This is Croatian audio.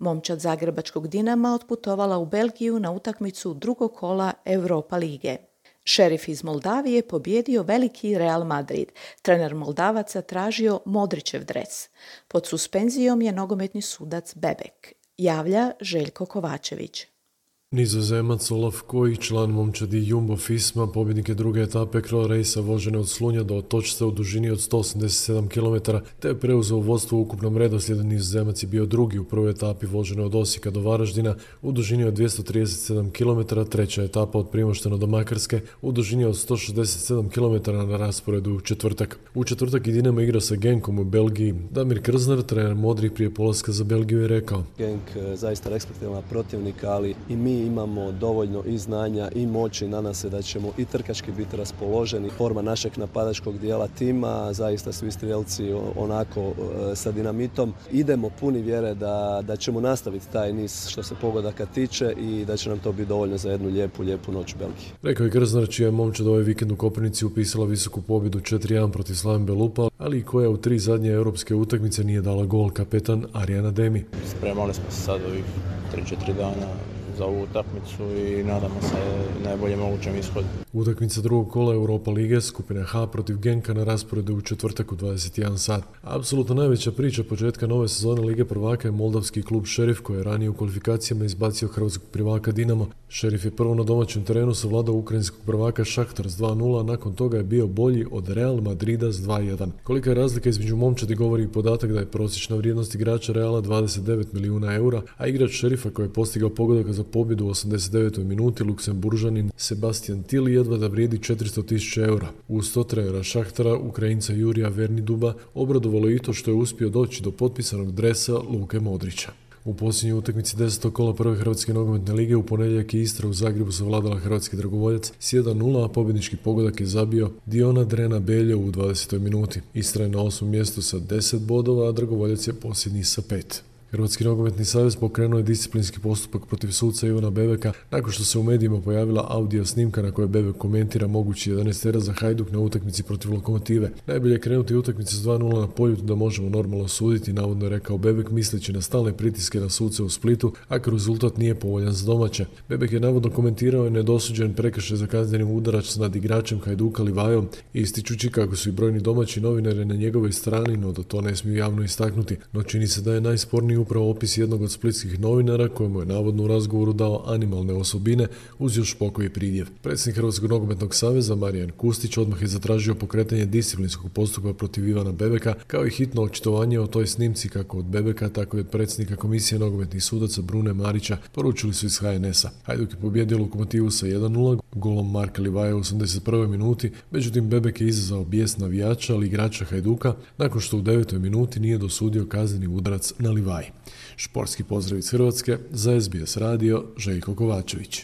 Momčad zagrebačkog Dinama otputovala u Belgiju na utakmicu drugog kola Europa lige. Šerif iz Moldavije pobjedio veliki Real Madrid. Trener Moldavaca tražio Modrićev dres. Pod suspenzijom je nogometni sudac Bebek. Javlja Željko Kovačević. Nizozemac Olaf Kojić, član momčadi Jumbo Fisma, pobjednik je druge etape Cross Racea vožene od Slunja do Otočca u dužini od 187 km, te je preuzeo vodstvo u ukupnom redoslijedu. Nizozemac je bio drugi u prvoj etapi vožene od Osijeka do Varaždina u dužini od 237 km, treća etapa od Primoštena do Makarske u dužini od 167 km na rasporedu u četvrtak. U četvrtak i Dinamo igra sa Genkom u Belgiji. Damir Krznar, trener modrih prije polaska za Belgiju, je rekao: Genk zaista respektabilan protivnik, ali i mi imamo dovoljno i znanja i moći, nadam se da ćemo i trkački biti raspoloženi. Forma našeg napadačkog dijela tima, zaista svi strijelci onako sa dinamitom. Idemo puni vjere da ćemo nastaviti taj niz što se pogodaka tiče i da će nam to biti dovoljno za jednu lijepu noć u Belgiji. Rekao je Krznar, čija je momčad ovaj vikend u Koprivnici upisala visoku pobjedu 4-1 protiv Slaven Belupa, ali i koja u 3 zadnje europske utakmice nije dala gol, kapetan Arjan Ademi. Spremali smo se sad ovih 3-4 dana za ovu utakmicu i nadamo se najbolje mogućem ishodu. Utakmica drugog kola Europa lige, skupina H protiv Genka na rasporedu u četvrtak u 21 sat. Apsolutno najveća priča početka nove sezone Lige prvaka je moldavski klub Šerif, koji je ranije u kvalifikacijama izbacio hrvatskog prvaka Dinamo. Šerif je prvo na domaćem terenu savladao ukrajinskog prvaka Šahtar s 2-0, a nakon toga je bio bolji od Real Madrida s 2-1. Kolika je razlika između momčadi govori i podatak da je prosječna vrijednost igrača Reala 29 milijuna eura, a igrač Šerifa koji je postigao pogodak za pobjedu u 89. minuti, Luksemburžanin Sebastian Till, jedva da vrijedi 400.000 eura. Uz to trenera Šahtara, Ukrajinca Jurija Verniduba, obradovalo i to što je uspio doći do potpisanog dresa Luke Modrića. U posljednjoj utakmici 10. kola prve Hrvatske nogometne lige u ponedjeljak je Istra u Zagrebu savladala hrvatski dragovoljac s 1-0, a pobjednički pogodak je zabio Diona Drena Beljo u 20. minuti. Istra je na 8. mjestu sa 10 bodova, a dragovoljac je posljednji sa 5. Hrvatski nogometni savez pokrenuo je disciplinski postupak protiv suca Ivana Bebeka nakon što se u medijima pojavila audio snimka na kojoj Bebek komentira mogući 11 za Hajduk na utakmici protiv Lokomotive. Najbolje je krenuti utakmicu s 2-0 na Poljudu da možemo normalno suditi, navodno je rekao Bebek, misleći na stalne pritiske na suce u Splitu, ako rezultat nije povoljan za domaće. Bebek je navodno komentirao i nedosuđen prekršaj za kaznenim udarac nad igračem Hajduka Livajom, ističući kako su i brojni domaći novinari na njegovoj strani, no da to ne smiju javno istaknuti. No čini se da je najsporniji upravo opis jednog od splitskih novinara kojemu je navodno u razgovoru dao animalne osobine uz još pokoji pridjev. Predsjednik Hrvatskog nogometnog saveza Marijan Kustić odmah je zatražio pokretanje disciplinskog postupka protiv Ivana Bebeka, kao i hitno očitovanje o toj snimci kako od Bebeka, tako i od predsjednika komisije nogometnih sudaca Brune Marića, poručili su iz HNS-a. Hajduk je pobjedio Lokomotivu sa 1-0 golom Marka Livaja u 81. minuti, međutim Bebek je izazvao bijes navijača, ali igrača Hajduka, nakon što u 9. minuti nije dosudio kazneni udarac na Livaj. Športski pozdrav iz Hrvatske, za SBS radio, Željko Kovačević.